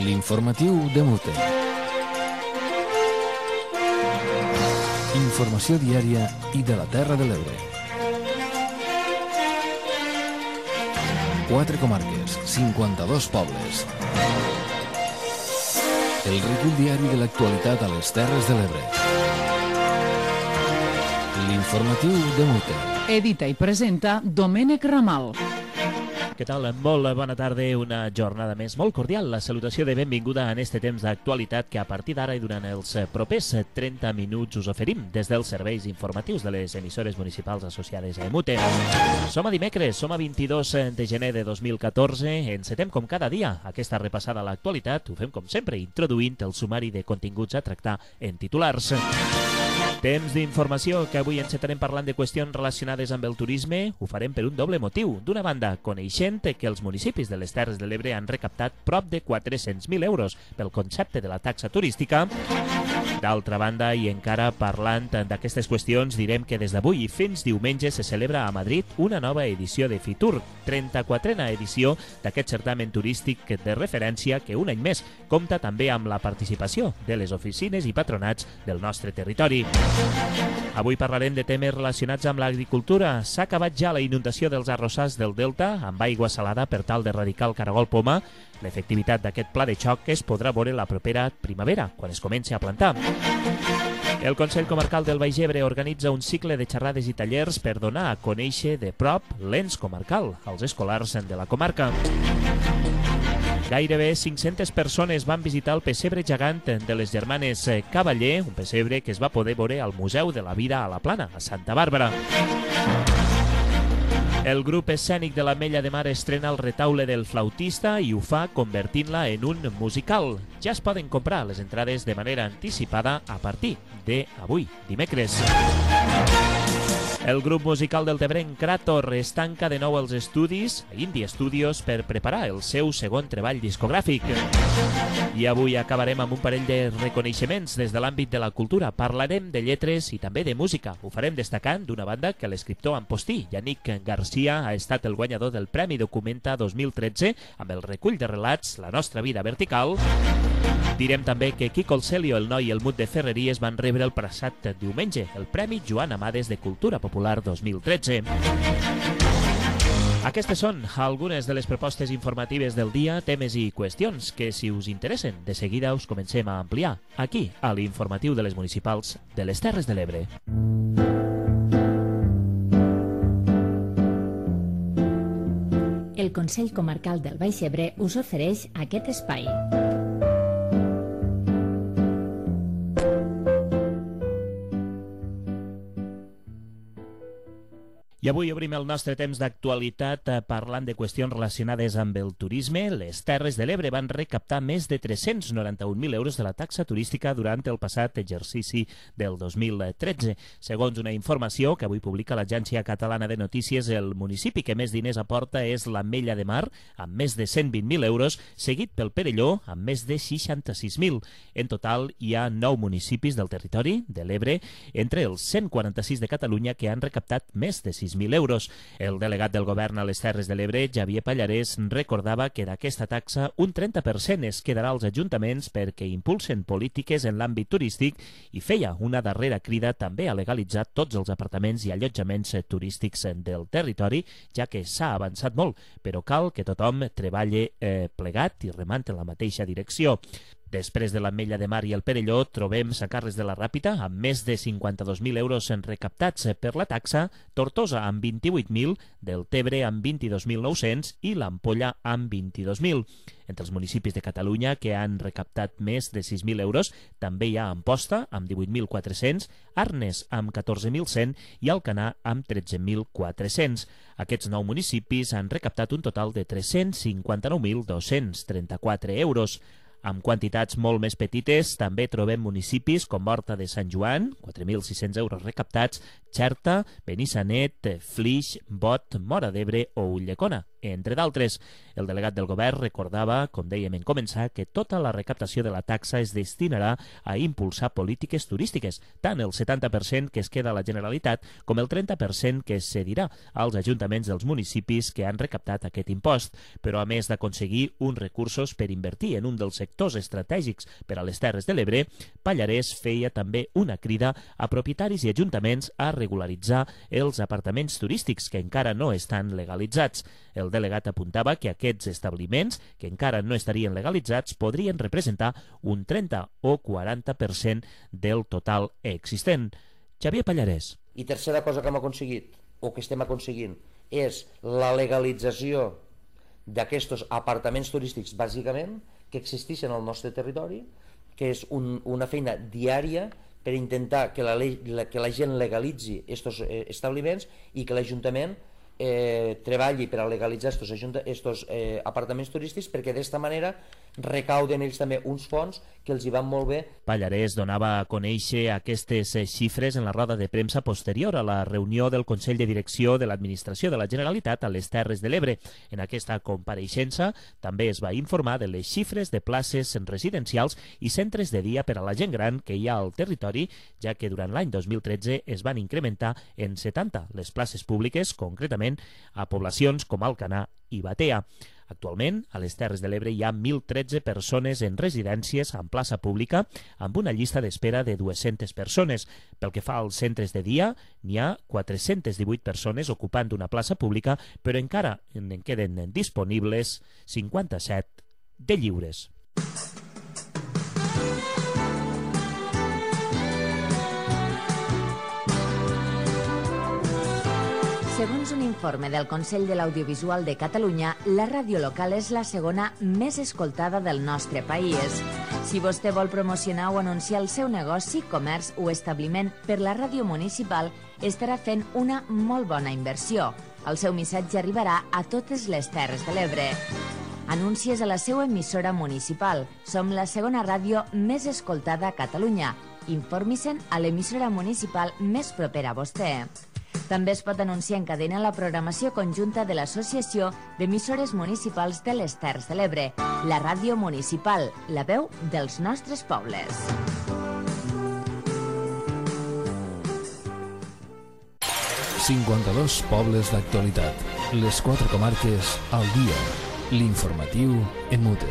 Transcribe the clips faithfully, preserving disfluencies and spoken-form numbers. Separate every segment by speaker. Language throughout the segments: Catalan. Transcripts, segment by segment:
Speaker 1: L'informatiu de Mute. Informació diària i de la Terra de l'Ebre. Quatre comarques, cinquanta-dos pobles. El recull diari de l'actualitat a les Terres de l'Ebre. L'informatiu de Mute.
Speaker 2: Edita i presenta Domènec Ramal.
Speaker 3: Què tal? Molt bona tarda, una jornada més molt cordial. La salutació de benvinguda en este temps d'actualitat que a partir d'ara i durant els propers trenta minuts us oferim des dels serveis informatius de les emissores municipals associades a Mute. Som a dimecres, som a vint-i-dos de gener de dos mil catorze, encetem com cada dia aquesta repassada a l'actualitat, ho fem com sempre introduint el sumari de continguts a tractar en titulars. Temps d'informació que avui encetarem parlant de qüestions relacionades amb el turisme. Ho farem per un doble motiu. D'una banda, coneixent que els municipis de les Terres de l'Ebre han recaptat prop de quatre-cents mil euros pel concepte de la taxa turística. D'altra banda, i encara parlant d'aquestes qüestions, direm que des d'avui fins diumenge se celebra a Madrid una nova edició de Fitur, trenta-quatrena edició d'aquest certamen turístic de referència que un any més compta també amb la participació de les oficines i patronats del nostre territori. Avui parlarem de temes relacionats amb l'agricultura. S'ha acabat ja la inundació dels arrossars del Delta amb aigua salada per tal d'erradicar el caragol poma. L'efectivitat d'aquest pla de xoc es podrà veure la propera primavera, quan es comenci a plantar. El Consell Comarcal del Baix Ebre organitza un cicle de xerrades i tallers per donar a conèixer de prop l'ens comarcal als escolars de la comarca. Gairebé cinc-centes persones van visitar el pessebre gegant de les germanes Cavaller, un pessebre que es va poder veure al Museu de la Vida a la Plana, a Santa Bàrbara. El grup escènic de l'Ametlla de Mar estrena el retaule del flautista i ho fa convertint-la en un musical. Ja es poden comprar les entrades de manera anticipada a partir d'avui, dimecres. El grup musical del Tebrenc Krator es tanca de nou els estudis a Indie Studios per preparar el seu segon treball discogràfic. I avui acabarem amb un parell de reconeixements des de l'àmbit de la cultura. Parlarem de lletres i també de música. Ho farem destacant d'una banda que l'escriptor Ampostí, Yannick Garcia, ha estat el guanyador del Premi Documenta dos mil tretze amb el recull de relats La nostra vida vertical. Direm també que Quico el Celio, el noi i el Mut de Ferreries van rebre el passat diumenge el Premi Joan Amades de Cultura Popular dos mil tretze. Aquestes són algunes de les propostes informatives del dia, temes i qüestions que, si us interessen, de seguida us comencem a ampliar aquí, a l'informatiu de les municipals de les Terres de l'Ebre.
Speaker 4: El Consell Comarcal del Baix Ebre us ofereix aquest espai.
Speaker 3: I avui obrim el nostre temps d'actualitat parlant de qüestions relacionades amb el turisme. Les Terres de l'Ebre van recaptar més de tres-cents noranta-un mil euros de la taxa turística durant el passat exercici del dos mil tretze. Segons una informació que avui publica l'Agència Catalana de Notícies, el municipi que més diners aporta és l'Ametlla de Mar, amb més de cent vint mil euros, seguit pel Perelló, amb més de seixanta-sis mil. En total, hi ha nou municipis del territori de l'Ebre, entre els cent quaranta-sis de Catalunya, que han recaptat més de sis mil euros. El delegat del govern a les Terres de l'Ebre, Xavier Pallarès, recordava que d'aquesta taxa un trenta per cent es quedarà als ajuntaments perquè impulsen polítiques en l'àmbit turístic i feia una darrera crida també a legalitzar tots els apartaments i allotjaments turístics del territori, ja que s'ha avançat molt, però cal que tothom treballi eh, plegat i remant en la mateixa direcció. Després de l'Ametlla de Mar i el Perelló, trobem Sant Carles de la Ràpita amb més de cinquanta-dos mil euros recaptats per la taxa, Tortosa amb vint-i-vuit mil, Deltebre amb vint-i-dos mil nou-cents i l'Ampolla amb vint-i-dos mil. Entre els municipis de Catalunya que han recaptat més de sis mil euros també hi ha Amposta amb divuit mil quatre-cents, Arnes amb catorze mil cent i Alcanar amb tretze mil quatre-cents. Aquests nou municipis han recaptat un total de tres-cents cinquanta-nou mil dos-cents trenta-quatre euros. Amb quantitats molt més petites també trobem municipis com Horta de Sant Joan, quatre mil sis-cents euros recaptats, Xerta, Benissanet, Flix, Bot, Móra d'Ebre o Ulldecona, entre d'altres. El delegat del govern recordava, com dèiem en començar, que tota la recaptació de la taxa es destinarà a impulsar polítiques turístiques, tant el setanta per cent que es queda a la Generalitat com el trenta per cent que es cedirà als ajuntaments dels municipis que han recaptat aquest impost. Però a més d'aconseguir uns recursos per invertir en un dels sectors estratègics per a les Terres de l'Ebre, Pallarès feia també una crida a propietaris i ajuntaments a regularitzar els apartaments turístics que encara no estan legalitzats. El delegat apuntava que aquests establiments, que encara no estarien legalitzats, podrien representar un trenta o quaranta per cent del total existent. Xavier Pallarès.
Speaker 5: I tercera cosa que hem aconseguit, o que estem aconseguint, és la legalització d'aquests apartaments turístics, bàsicament, que existeixen al nostre territori, que és un, una feina diària per intentar que la, que la gent legalitzi aquests establiments i que l'Ajuntament eh, treballi per a legalitzar aquests eh, apartaments turístics, perquè d'esta manera recauden ells també uns fons que els hi van molt bé.
Speaker 3: Pallarès donava a conèixer aquestes xifres en la roda de premsa posterior a la reunió del Consell de Direcció de l'Administració de la Generalitat a les Terres de l'Ebre. En aquesta compareixença també es va informar de les xifres de places residencials i centres de dia per a la gent gran que hi ha al territori, ja que durant l'any dos mil tretze es van incrementar en setanta les places públiques, concretament a poblacions com Alcanar i Batea. Actualment, a les Terres de l'Ebre hi ha mil tretze persones en residències en plaça pública, amb una llista d'espera de dues-centes persones. Pel que fa als centres de dia, n'hi ha quatre-centes divuit persones ocupant una plaça pública, però encara en queden disponibles cinquanta-set de lliures.
Speaker 6: Segons un informe del Consell de l'Audiovisual de Catalunya, la ràdio local és la segona més escoltada del nostre país. Si vostè vol promocionar o anunciar el seu negoci, comerç o establiment per la ràdio municipal, estarà fent una molt bona inversió. El seu missatge arribarà a totes les Terres de l'Ebre. Anuncies a la seva emissora municipal. Som la segona ràdio més escoltada a Catalunya. Informi-se'n a l'emissora municipal més propera a vostè. També es pot anunciar en cadena la programació conjunta de l'Associació d'Emissores Municipals de les Terres de l'Ebre, la ràdio municipal, la veu dels nostres pobles.
Speaker 1: cinquanta-dos pobles d'actualitat. Les quatre comarques al dia. L'informatiu en mute.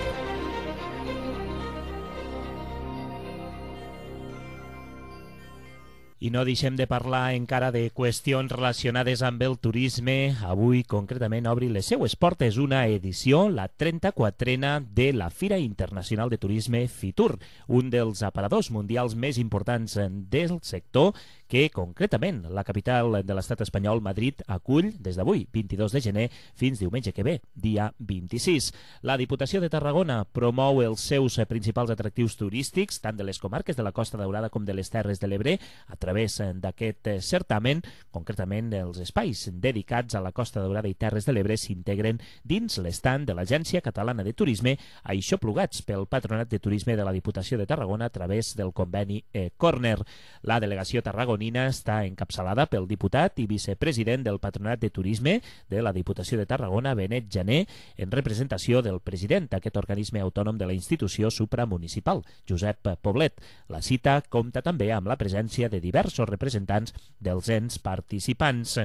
Speaker 3: I no deixem de parlar encara de qüestions relacionades amb el turisme. Avui, concretament, obri les seues portes una edició, la trenta-quatrena de la Fira Internacional de Turisme Fitur, un dels aparadors mundials més importants del sector, que, concretament, la capital de l'estat espanyol, Madrid, acull des d'avui, vint-i-dos de gener, fins diumenge que ve, dia vint-i-sis. La Diputació de Tarragona promou els seus principals atractius turístics, tant de les comarques de la Costa Daurada com de les Terres de l'Ebre, a través d'aquest certamen. Concretament, els espais dedicats a la Costa Daurada i Terres de l'Ebre s'integren dins l'estand de l'Agència Catalana de Turisme, aixoplugats pel Patronat de Turisme de la Diputació de Tarragona a través del conveni E-Corner. La delegació tarragonina està encapçalada pel diputat i vicepresident del Patronat de Turisme de la Diputació de Tarragona, Benet Jané, en representació del president d'aquest organisme autònom de la institució supramunicipal, Josep Poblet. La cita compta també amb la presència de diversos representants dels ens participants.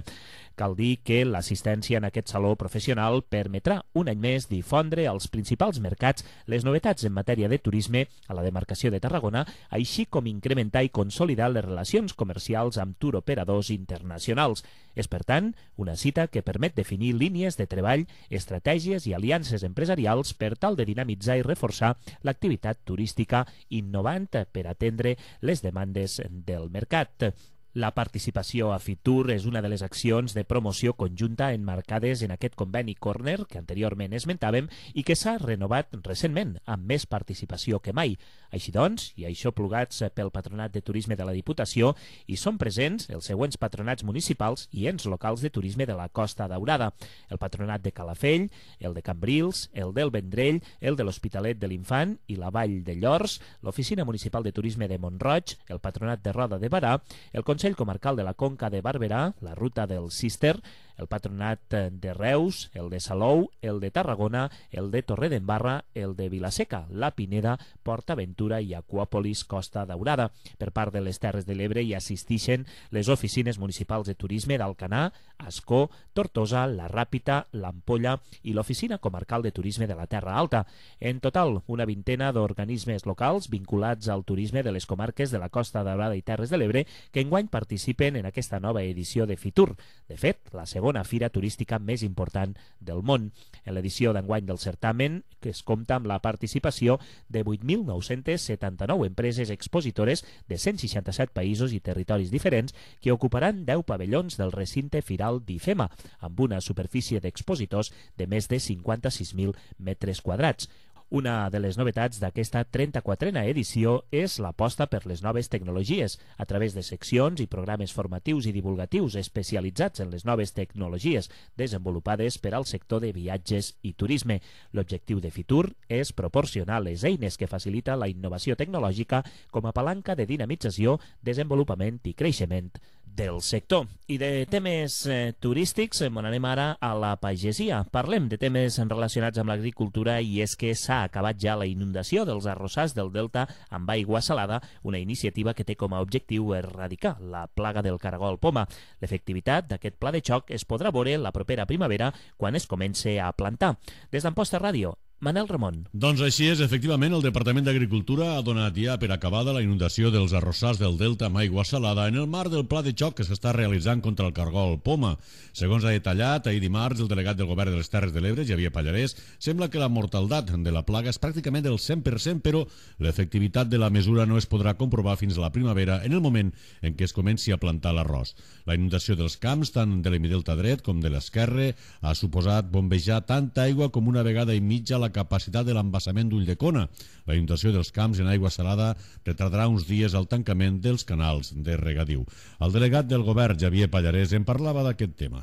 Speaker 3: Cal dir que l'assistència en aquest saló professional permetrà un any més difondre als principals mercats les novetats en matèria de turisme a la demarcació de Tarragona, així com incrementar i consolidar les relacions comercials amb turoperadors internacionals. És, per tant, una cita que permet definir línies de treball, estratègies i aliances empresarials per tal de dinamitzar i reforçar l'activitat turística, innovant per atendre les demandes del mercat. La participació a Fitur és una de les accions de promoció conjunta emmarcades en aquest conveni Corner que anteriorment esmentàvem i que s'ha renovat recentment amb més participació que mai. Així doncs, i això plugats pel Patronat de Turisme de la Diputació, hi són presents els següents patronats municipals i ens locals de turisme de la Costa Daurada: el Patronat de Calafell, el de Cambrils, el del Vendrell, el de l'Hospitalet de l'Infant i la Vall de Llors, l'Oficina Municipal de Turisme de Mont-roig, el Patronat de Roda de Barà, el Consell Consell Comarcal de la Conca de Barberà, la Ruta del Cister, el Patronat de Reus, el de Salou, el de Tarragona, el de Torredembarra, el de Vilaseca, la Pineda, PortAventura i Aquàpolis Costa Daurada. Per part de les Terres de l'Ebre hi assistixen les oficines municipals de turisme d'Alcanar, Ascó, Tortosa, la Ràpita, l'Ampolla i l'Oficina Comarcal de Turisme de la Terra Alta. En total, una vintena d'organismes locals vinculats al turisme de les comarques de la Costa Daurada i Terres de l'Ebre que enguany participen en aquesta nova edició de Fitur. De fet, la segona fira turística més important del món. En l'edició d'enguany del certamen, que es compta amb la participació de vuit mil nou-cents setanta-nou empreses expositores de cent seixanta-set països i territoris diferents que ocuparan deu pavellons del recinte firal d'IFEMA, amb una superfície d'expositors de més de cinquanta-sis mil metres quadrats. Una de les novetats d'aquesta trenta-quatrena edició és l'aposta per les noves tecnologies, a través de seccions i programes formatius i divulgatius especialitzats en les noves tecnologies desenvolupades per al sector de viatges i turisme. L'objectiu de Fitur és proporcionar les eines que facilita la innovació tecnològica com a palanca de dinamització, desenvolupament i creixement del sector. I de temes eh, turístics, eh, anem ara a la pagesia. Parlem de temes relacionats amb l'agricultura i és que s'ha acabat ja la inundació dels arrossars del Delta amb aigua salada, una iniciativa que té com a objectiu erradicar la plaga del caragol poma. L'efectivitat d'aquest pla de xoc es podrà veure la propera primavera quan es comence a plantar. Des d'Amposta Ràdio, Manel Ramon.
Speaker 7: Doncs així és, efectivament, el Departament d'Agricultura ha donat ja per acabada la inundació dels arrossars del Delta amb aigua salada en el marc del pla de xoc que s'està realitzant contra el cargol poma. Segons ha detallat ahir dimarts el delegat del Govern de les Terres de l'Ebre, Xavier Pallarès, sembla que la mortaldat de la plaga és pràcticament del cent per cent, però l'efectivitat de la mesura no es podrà comprovar fins a la primavera, en el moment en què es comenci a plantar l'arròs. La inundació dels camps, tant de l'hemidelta dret com de l'esquerre, ha suposat bombejar tanta aigua com una vegada i mitja la capacitat de l'embassament d'Ulldecona. La inundació dels camps en aigua salada retardarà uns dies el tancament dels canals de regadiu. El delegat del govern, Xavier Pallarès, en parlava d'aquest tema.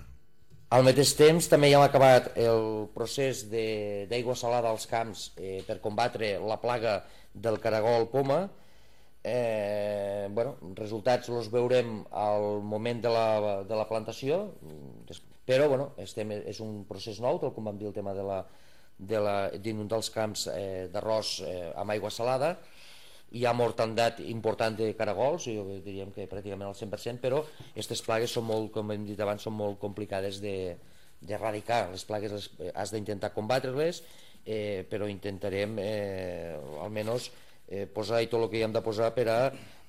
Speaker 5: Al mateix temps també ja hem acabat el procés d'aigua salada als camps eh, per combatre la plaga del caragol poma. Eh, bueno, resultats els veurem al moment de la, de la plantació, però bueno, estem, és un procés nou, tal com vam dir el tema de la d'inundar els camps eh, d'arròs eh, amb aigua salada. Hi ha mortandat important de caragols, jo diríem que pràcticament al cent per cent, però aquestes plagues són molt, com hem dit abans, són molt complicades d'erradicar. Les plagues les, has d'intentar combatre-les, eh, però intentarem eh, almenys eh, posar i tot el que hi hem de posar per a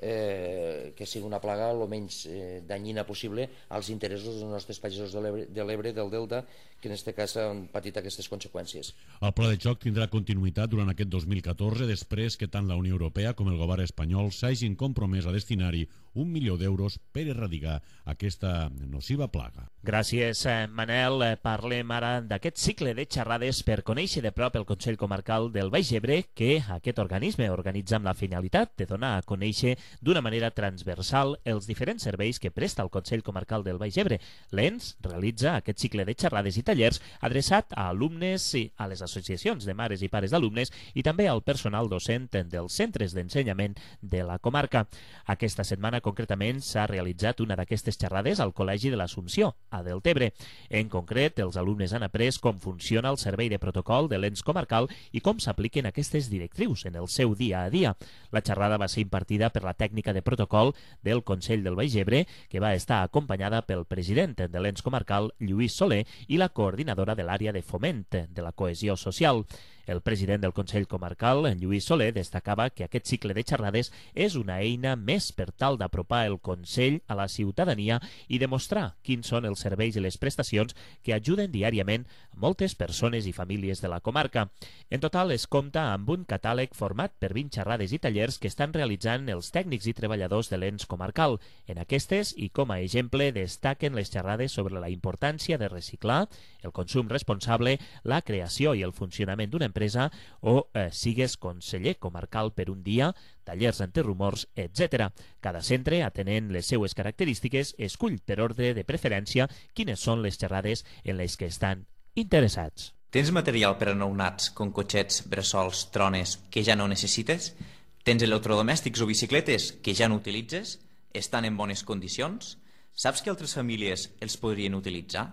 Speaker 5: eh, que sigui una plaga el menys eh, danyina possible als interessos dels nostres pagesos de l'Ebre, del Delta, que en aquest cas han patit aquestes conseqüències.
Speaker 7: El pla de xoc tindrà continuïtat durant aquest dos mil catorze, després que tant la Unió Europea com el govern espanyol s'hagin compromès a destinar-hi un milió d'euros per erradicar aquesta nociva plaga.
Speaker 3: Gràcies, Manel. Parlem ara d'aquest cicle de xerrades per conèixer de prop el Consell Comarcal del Baix Ebre, que aquest organisme organitza amb la finalitat de donar a conèixer d'una manera transversal els diferents serveis que presta el Consell Comarcal del Baix Ebre. L'E N S realitza aquest cicle de xerrades i tallers adreçat a alumnes i a les associacions de mares i pares d'alumnes i també al personal docent dels centres d'ensenyament de la comarca. Aquesta setmana concretament s'ha realitzat una d'aquestes xerrades al Col·legi de l'Assumpció, a Deltebre. En concret, els alumnes han après com funciona el servei de protocol de l'E N S comarcal i com s'apliquen aquestes directrius en el seu dia a dia. La xerrada va ser impartida per la tècnica de protocol del Consell del Baix Ebre, que va estar acompanyada pel president de l'E N S comarcal, Lluís Soler, i la coordinadora de l'àrea de foment de la cohesió social. El president del Consell Comarcal, Lluís Soler, destacava que aquest cicle de xerrades és una eina més per tal d'apropar el Consell a la ciutadania i demostrar quins són els serveis i les prestacions que ajuden diàriament a moltes persones i famílies de la comarca. En total es compta amb un catàleg format per vint xerrades i tallers que estan realitzant els tècnics i treballadors de l'E N S comarcal. En aquestes, i com a exemple, destaquen les xerrades sobre la importància de reciclar, el consum responsable, la creació i el funcionament d'una empresa empresa o eh, sigues conseller comarcal per un dia, tallers antirumors, etcètera. Cada centre, atenent les seues característiques, escull per ordre de preferència quines són les xerrades en les que estan interessats.
Speaker 8: Tens material per a nounats, com cotxets, bressols, trones, que ja no necessites? Tens electrodomèstics o bicicletes que ja no utilitzes? estan en bones condicions? Saps que altres famílies els podrien utilitzar?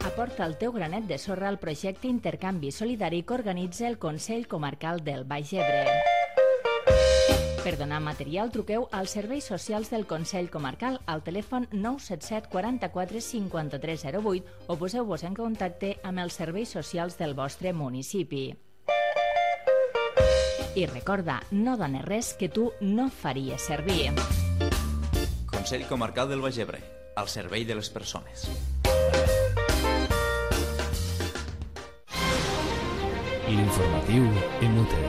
Speaker 4: Aporta el teu granet de sorra al projecte Intercanvi Solidari que organitza el Consell Comarcal del Baix Ebre. Per donar material, truqueu als serveis socials del Consell Comarcal al telèfon nou set set quaranta-quatre cinquanta-tres zero vuit o poseu-vos en contacte amb els serveis socials del vostre municipi. I recorda, no dones res que tu no faries servir.
Speaker 8: Consell Comarcal del Baix Ebre, al servei de les persones.
Speaker 1: L'informatiu Emute.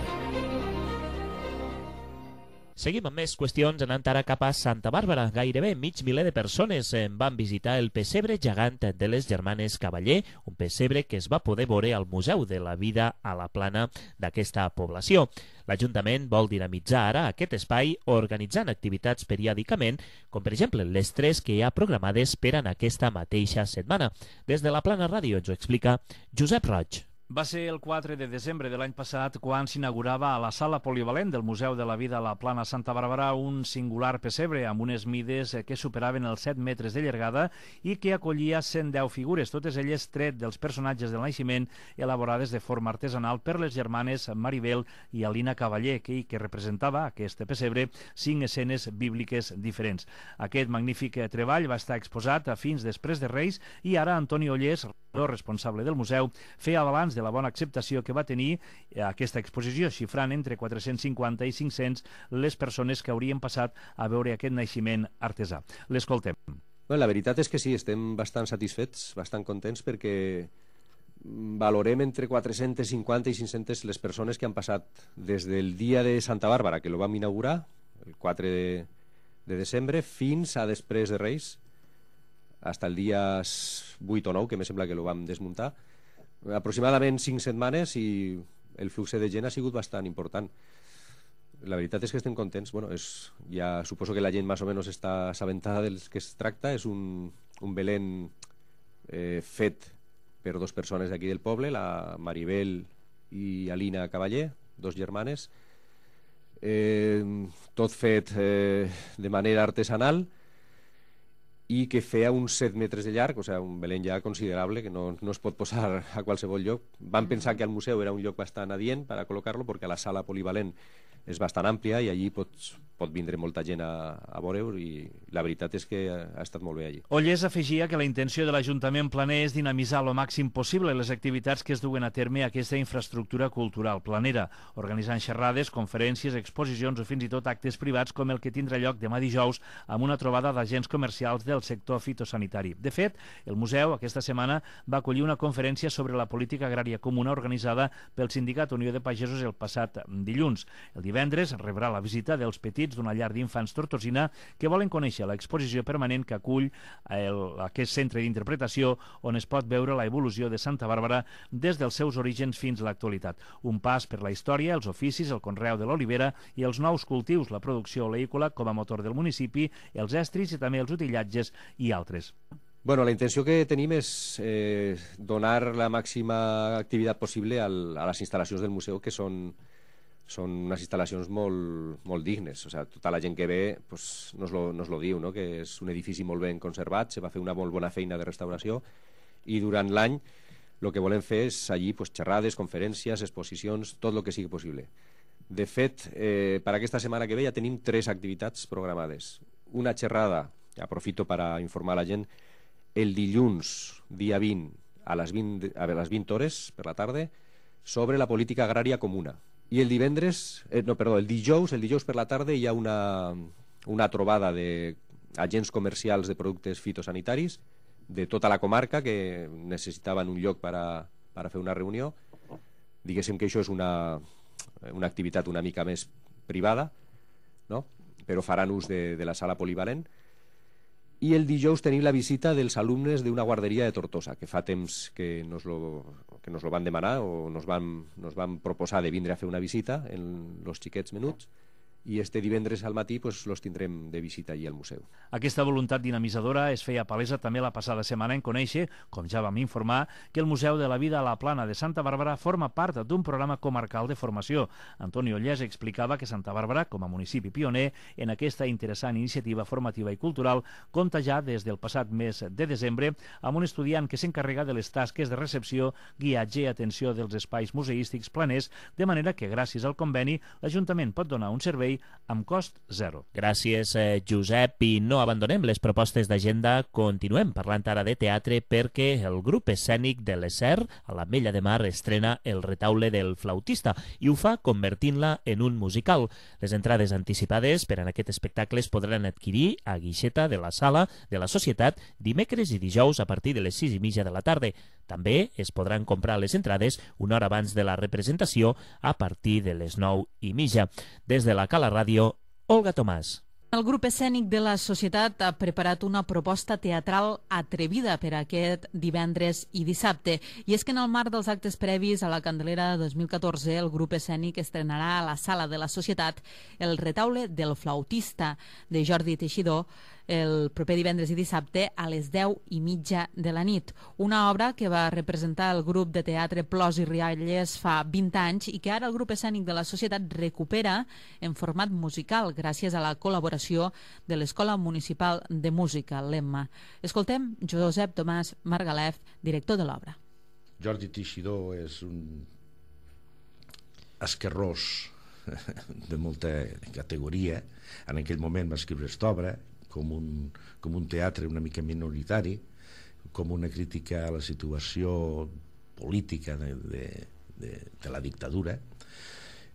Speaker 3: Seguim amb més qüestions, anant ara cap a Santa Bàrbara. Gairebé mig miler de persones van visitar el pessebre gegant de les germanes Cavaller, un pessebre que es va poder veure al Museu de la Vida a la Plana d'aquesta població. L'Ajuntament vol dinamitzar ara aquest espai organitzant activitats periòdicament, com per exemple les tres que hi ha programades per en aquesta mateixa setmana. Des de la Plana Ràdio ens ho explica Josep Roig.
Speaker 9: Va ser el quatre de desembre de l'any passat quan s'inaugurava a la sala polivalent del Museu de la Vida a la Plana Santa Bàrbara un singular pessebre amb unes mides que superaven els set metres de llargada i que acollia cent deu figures, totes elles tret dels personatges del naixement elaborades de forma artesanal per les germanes Maribel i Alina Cavaller, que, que representava aquest pessebre cinc escenes bíbliques diferents. Aquest magnífic treball va estar exposat a fins després de Reis i ara Antoni Ollés, responsable del museu, feia balanç de la bona acceptació que va tenir aquesta exposició, xifrant entre quatre-cents cinquanta i cinc-cents les persones que haurien passat a veure aquest naixement artesà. L'escoltem.
Speaker 10: Bueno, la veritat és que sí, estem bastant satisfets, bastant contents, perquè valorem entre quatre-cents cinquanta i cinc-centes les persones que han passat des del dia de Santa Bàrbara, que lo vam inaugurar, el quatre de, de desembre, fins a després de Reis, fins al dia vuit o nou, que me sembla que lo vam desmuntar. Aproximadament cinc setmanes i el flux de gent ha sigut bastant important. La veritat és que estem contents. Bueno, és, ja suposo que la gent més o menys està assabentada del que es tracta. És un, un Belén eh, fet per dos persones d'aquí del poble, la Maribel i Alina Cavaller, dos germanes. Eh, tot fet eh, de manera artesanal i que feia uns set metres de llarg, o sigui, un Belén ja considerable, que no, no es pot posar a qualsevol lloc. Vam pensar que al museu era un lloc bastant adient per a col·locar-lo, perquè la sala polivalent és bastant àmplia i allí pots, pot vindre molta gent a, a veure-ho, i la veritat és que ha estat molt bé allí.
Speaker 9: Ollés afegia que la intenció de l'Ajuntament planer és dinamitzar lo màxim possible les activitats que es duen a terme a aquesta infraestructura cultural planera, organitzant xerrades, conferències, exposicions o fins i tot actes privats com el que tindrà lloc demà dijous amb una trobada d'agents comercials del sector fitosanitari. De fet, el museu aquesta setmana va acollir una conferència sobre la política agrària comuna organitzada pel Sindicat Unió de Pagesos el passat dilluns. El divendres rebrà la visita dels petits d'una llar d'infants Tortosina que volen conèixer l'exposició permanent que acull el, aquest centre d'interpretació on es pot veure la evolució de Santa Bàrbara des dels seus orígens fins a l'actualitat. Un pas per la història, els oficis, el conreu de l'olivera i els nous cultius, la producció oleícola com a motor del municipi, els estris i també els utillatges i altres.
Speaker 10: Bueno, la intenció que tenim és eh, donar la màxima activitat possible al, a les instal·lacions del museu, que són són unes instal·lacions molt, molt dignes. O sigui, tota la gent que ve pues, nos, lo, nos lo diu, no? Que és un edifici molt ben conservat, se va fer una molt bona feina de restauració i durant l'any el que volem fer és allí pues, xerrades, conferències, exposicions, tot el que sigui possible. De fet, eh, per aquesta setmana que ve ja tenim tres activitats programades. Una xerrada, aprofito per a informar la gent, el dilluns, dia vint, a les vint, a les vint hores per la tarda, sobre la política agrària comuna. I el divendres, eh, no, perdó, el dijous, el dijous per la tarda hi ha una, una trobada d'agents comercials de productes fitosanitaris de tota la comarca que necessitaven un lloc per a, per a fer una reunió. Diguéssim que això és una, una activitat una mica més privada, no? Però faran ús de, de la sala polivalent. I el dijous tenim la visita dels alumnes d'una guarderia de Tortosa, que fa temps que nos lo, que nos lo van demanar o nos van, nos van proposar de vindre a fer una visita en los xiquets menuts, i este divendres al matí pues, los tindrem de visita allí al museu.
Speaker 9: Aquesta voluntat dinamitzadora es feia palesa també la passada setmana en conèixer, com ja vam informar, que el Museu de la Vida a la Plana de Santa Bàrbara forma part d'un programa comarcal de formació. Antoni Ollés explicava que Santa Bàrbara, com a municipi pioner en aquesta interessant iniciativa formativa i cultural, compta ja des del passat mes de desembre amb un estudiant que s'encarrega de les tasques de recepció, guiatge i atenció dels espais museístics planers, de manera que gràcies al conveni l'Ajuntament pot donar un servei amb cost zero.
Speaker 3: Gràcies, eh, Josep. I no abandonem les propostes d'agenda. Continuem parlant ara de teatre perquè el grup escènic de l'Esser, a l'Ametlla de Mar, estrena El retaule del flautista i ho fa convertint-la en un musical. Les entrades anticipades per a aquest espectacle es podran adquirir a guixeta de la sala de la Societat dimecres i dijous a partir de les sis i mitja de la tarda. També es podran comprar les entrades una hora abans de la representació a partir de les nou i mitja. Des de la Cala Ràdio, Olga Tomàs.
Speaker 2: El grup escènic de la Societat ha preparat una proposta teatral atrevida per a aquest divendres i dissabte. I és que en el marc dels actes previs a la Candelera dos mil catorze, el grup escènic estrenarà a la Sala de la Societat El retaule del flautista de Jordi Teixidor el proper divendres i dissabte a les deu i mitja de la nit. Una obra que va representar el grup de teatre Plors i Rialles fa vint anys i que ara el grup escènic de la Societat recupera en format musical gràcies a la col·laboració de l'Escola Municipal de Música, l'Emma. Escoltem Josep Tomàs Margalef, director de l'obra.
Speaker 11: Jordi Teixidor és un esquerrós de molta categoria. En aquell moment va escriure aquesta obra com un, com un teatre una mica minoritari, com una crítica a la situació política de, de, de, de la dictadura.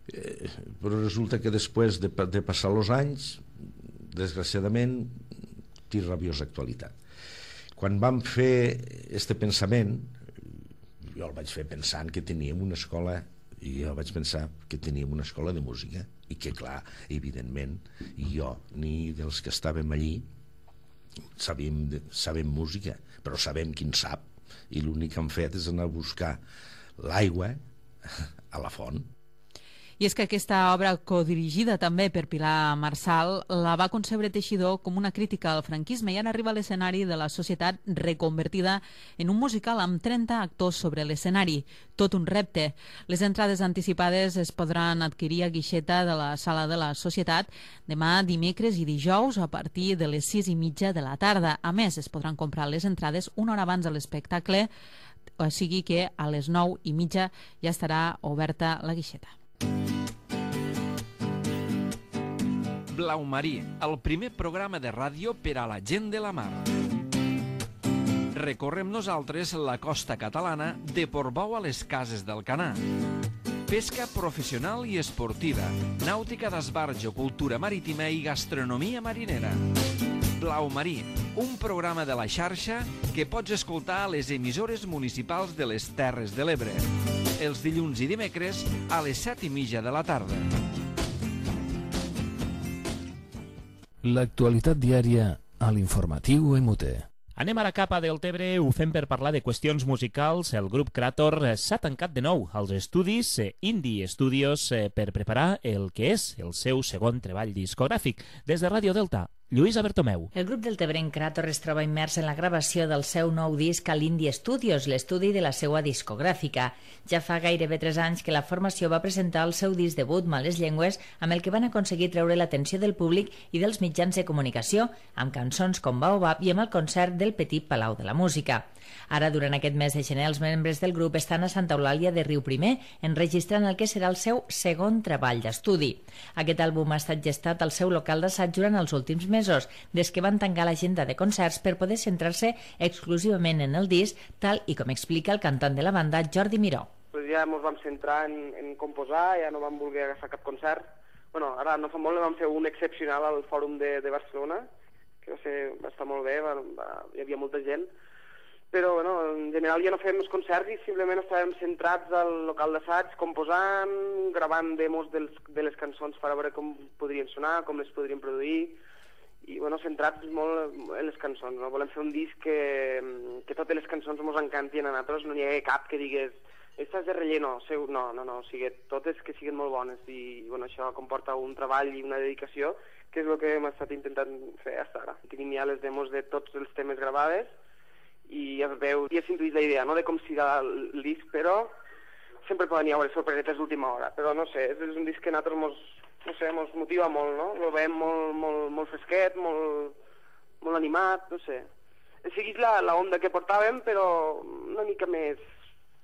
Speaker 11: Eh, però resulta que després de, de passar els anys, desgraciadament, té rabiosa actualitat. Quan vam fer este pensament, jo el vaig fer pensant que teníem una escola, i jo vaig pensar que teníem una escola de música i que, clar, evidentment, jo ni dels que estàvem allí sabem, sabem música, però sabem qui en sap, i l'únic que hem fet és anar a buscar l'aigua a la font.
Speaker 2: I és que aquesta obra, codirigida també per Pilar Marsal, la va concebre Teixidor com una crítica al franquisme i ara arriba a l'escenari de la Societat reconvertida en un musical amb trenta actors sobre l'escenari. Tot un repte. Les entrades anticipades es podran adquirir a guixeta de la Sala de la Societat demà, dimecres i dijous a partir de les sis i mitja de la tarda. A més, es podran comprar les entrades una hora abans de l'espectacle, o sigui que a les nou i mitja ja estarà oberta la guixeta.
Speaker 12: Blau Marí, el primer programa de ràdio per a la gent de la mar. Recorrem nosaltres la costa catalana de Portbou a les Cases del Canà. Pesca professional i esportiva, nàutica d'esbarjo, cultura marítima i gastronomia marinera. Blau Marí, un programa de la xarxa que pots escoltar a les emissores municipals de les Terres de l'Ebre. Els dilluns i dimecres a les set i mitja de la tarda.
Speaker 1: L'actualitat diària a l'informatiu M U T.
Speaker 3: Anem ara cap a Deltebre, ho fem per parlar de qüestions musicals. El grup Creator s'ha tancat de nou als estudis Indie Studios per preparar el que és el seu segon treball discogràfic. Des de Ràdio Delta, Lluïsa Bertomeu.
Speaker 4: El grup deltebrenc Creator es troba immers en la gravació del seu nou disc a l'Indie Studios, l'estudi de la seva discogràfica. Ja fa gairebé tres anys que la formació va presentar el seu disc debut, Males Llengües, amb el que van aconseguir treure l'atenció del públic i dels mitjans de comunicació, amb cançons com Baobab i amb el concert del Petit Palau de la Música. Ara, durant aquest mes de gener, els membres del grup estan a Santa Eulàlia de Riuprimer, enregistrant el que serà el seu segon treball d'estudi. Aquest àlbum ha estat gestat al seu local d'assaig durant els últims mesos, des que van tancar l'agenda de concerts per poder centrar-se exclusivament en el disc, tal i com explica el cantant de la banda, Jordi Miró.
Speaker 13: Pues ja ens vam centrar en, en composar, ja no vam voler agafar cap concert. Bueno, ara no fa molt vam fer un excepcional al Fòrum de, de Barcelona, que va, ser, va estar molt bé, va, va, hi havia molta gent, però bueno, en general ja no fèiem els concerts i simplement estàvem centrats al local d'assaig, composant, gravant demos dels, de les cançons per a veure com podrien sonar, com les podrien produir, i bueno, centrats molt en les cançons, no? Volem fer un disc que, que totes les cançons ens encantin a nosaltres, no n'hi ha cap que digués Aquestes de relleno, seu, no, no, no, o sigui, totes que siguin molt bones i bueno, això comporta un treball i una dedicació que és el que hem estat intentant fer fins ara. Tenim ja les demos de tots els temes gravades i es veu, ja s'intuït la idea, no?, de com serà el disc, però sempre poden hi haver sorpresetes d'última hora, però no sé, és un disc que a nosaltres mos, no sé, mos motiva molt, no? Lo veiem molt, molt, molt fresquet, molt, molt animat, no sé. Seguís la, la onda que portàvem, però una mica més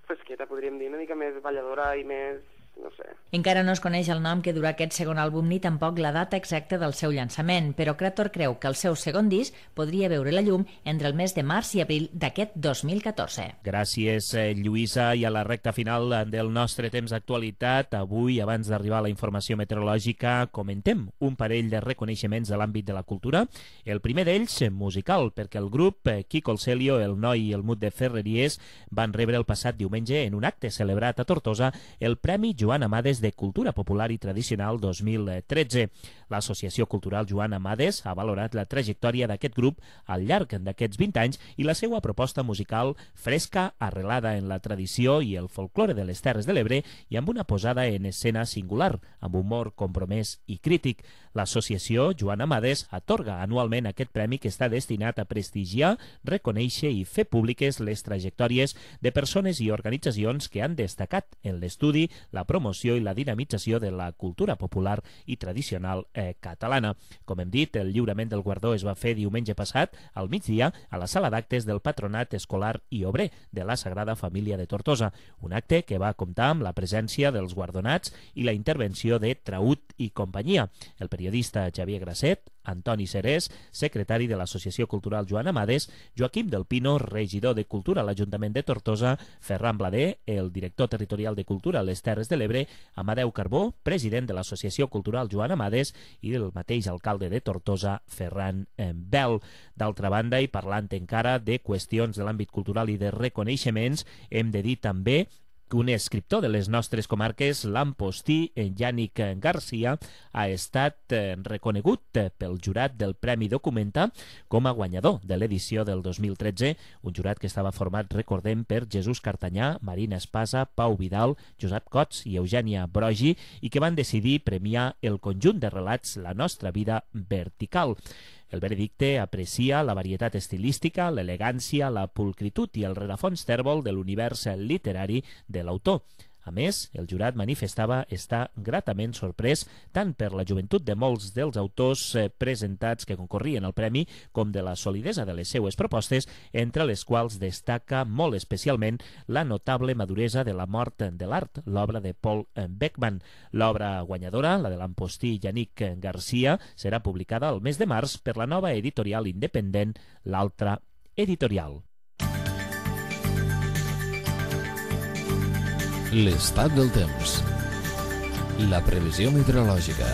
Speaker 13: fresqueta, podríem dir, una mica més balladora i més, no sé.
Speaker 4: Encara no es coneix el nom que durà aquest segon àlbum ni tampoc la data exacta del seu llançament, però Creator creu que el seu segon disc podria veure la llum entre el mes de març i abril d'aquest dos mil catorze.
Speaker 3: Gràcies, Lluïsa, i a la recta final del nostre temps d'actualitat. Avui, abans d'arribar a la informació meteorològica, comentem un parell de reconeixements de l'àmbit de la cultura. El primer d'ells, musical, perquè el grup Quico el Celio, el Noi i el Mut de Ferreries van rebre el passat diumenge en un acte celebrat a Tortosa el Premi Joan Amades de Cultura Popular i Tradicional dos mil tretze. L'Associació Cultural Joan Amades ha valorat la trajectòria d'aquest grup al llarg d'aquests vint anys i la seva proposta musical fresca, arrelada en la tradició i el folklore de les Terres de l'Ebre i amb una posada en escena singular, amb humor compromès i crític. L'associació Joan Amades atorga anualment aquest premi que està destinat a prestigiar, reconèixer i fer públiques les trajectòries de persones i organitzacions que han destacat en l'estudi, la promoció i la dinamització de la cultura popular i tradicional eh, catalana. Com hem dit, el lliurament del guardó es va fer diumenge passat, al migdia, a la sala d'actes del Patronat Escolar i Obrer de la Sagrada Família de Tortosa, un acte que va comptar amb la presència dels guardonats i la intervenció de Traut i companyia. El periodista Xavier Grasset, Antoni Serés, secretari de l'Associació Cultural Joan Amades, Joaquim del Pino, regidor de Cultura a l'Ajuntament de Tortosa, Ferran Blader, el director territorial de Cultura a les Terres de l'Ebre, Amadeu Carbó, president de l'Associació Cultural Joan Amades, i el mateix alcalde de Tortosa, Ferran Bel. D'altra banda, i parlant encara de qüestions de l'àmbit cultural i de reconeixements, hem de dir també que un escriptor de les nostres comarques, l'Ampostí, Yànic Garcia, ha estat reconegut pel jurat del Premi Documenta com a guanyador de l'edició del dos mil tretze, un jurat que estava format, recordem, per Jesús Cartanyà, Marina Espasa, Pau Vidal, Josep Cots i Eugènia Brogi, i que van decidir premiar el conjunt de relats La nostra vida vertical. El veredicte aprecia la varietat estilística, l'elegància, la pulcritud i el rerefons tèrbol de l'univers literari de l'autor. A més, el jurat manifestava estar gratament sorprès tant per la joventut de molts dels autors presentats que concorrien al premi com de la solidesa de les seues propostes, entre les quals destaca molt especialment la notable maduresa de La mort de l'art, l'obra de Paul Beckman. L'obra guanyadora, la de l'Ampostí Yànic Garcia, serà publicada el mes de març per la nova editorial independent L'Altra Editorial.
Speaker 1: L'estat del temps. La previsió meteorològica.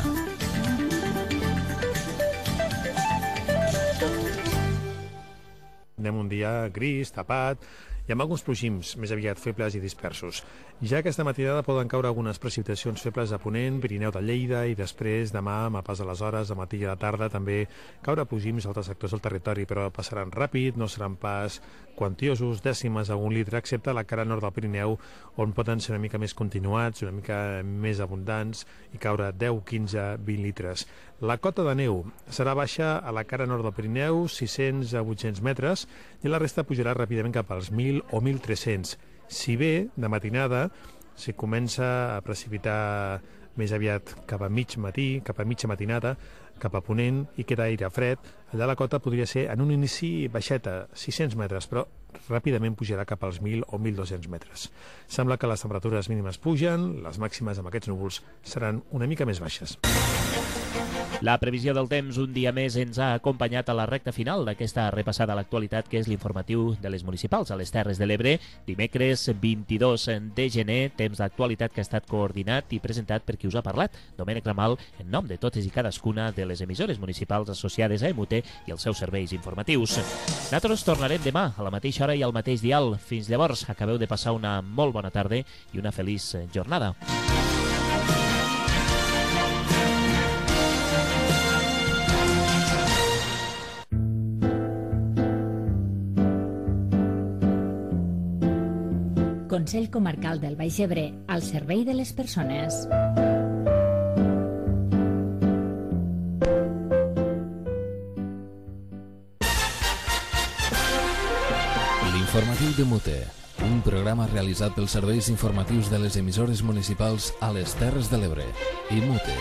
Speaker 14: Anem un dia gris, tapat, i amb alguns plogims més aviat febles i dispersos. Ja aquesta matinada poden caure algunes precipitacions febles a Ponent, Pirineu de Lleida, i després demà, a pas de les hores, a matí i a la tarda, també caure plogims a altres sectors del territori, però passaran ràpid, no seran pas quantiosos, dècimes a un litre, excepte a la cara nord del Pirineu, on poden ser una mica més continuats, una mica més abundants, i caure deu, quinze, vint litres. La cota de neu serà baixa a la cara nord del Pirineu, sis-cents a vuit-cents metres, i la resta pujarà ràpidament cap als mil o mil tres-cents. Si bé, de matinada, si comença a precipitar més aviat cap a mig matí, cap a mitja matinada, cap a Ponent, i queda aire fred, allà la cota podria ser en un inici baixeta, sis-cents metres, però ràpidament pujarà cap als mil o mil dos-cents metres. Sembla que les temperatures mínimes pugen, les màximes amb aquests núvols seran una mica més baixes.
Speaker 3: La previsió del temps un dia més ens ha acompanyat a la recta final d'aquesta repassada a l'actualitat, que és l'informatiu de les municipals a les Terres de l'Ebre. Dimecres vint-i-dos de gener, temps d'actualitat que ha estat coordinat i presentat per qui us ha parlat, Domènec Ramal, en nom de totes i cadascuna de les emissores municipals associades a E M U T i els seus serveis informatius. Nosaltres tornarem demà a la mateixa hora i al mateix dial. Fins llavors, acabeu de passar una molt bona tarda i una feliç jornada.
Speaker 4: Consell Comarcal del Baix Ebre, al servei de les persones.
Speaker 1: L'informatiu de Mute, un programa realitzat pels serveis informatius de les emissores municipals a les Terres de l'Ebre i Mute.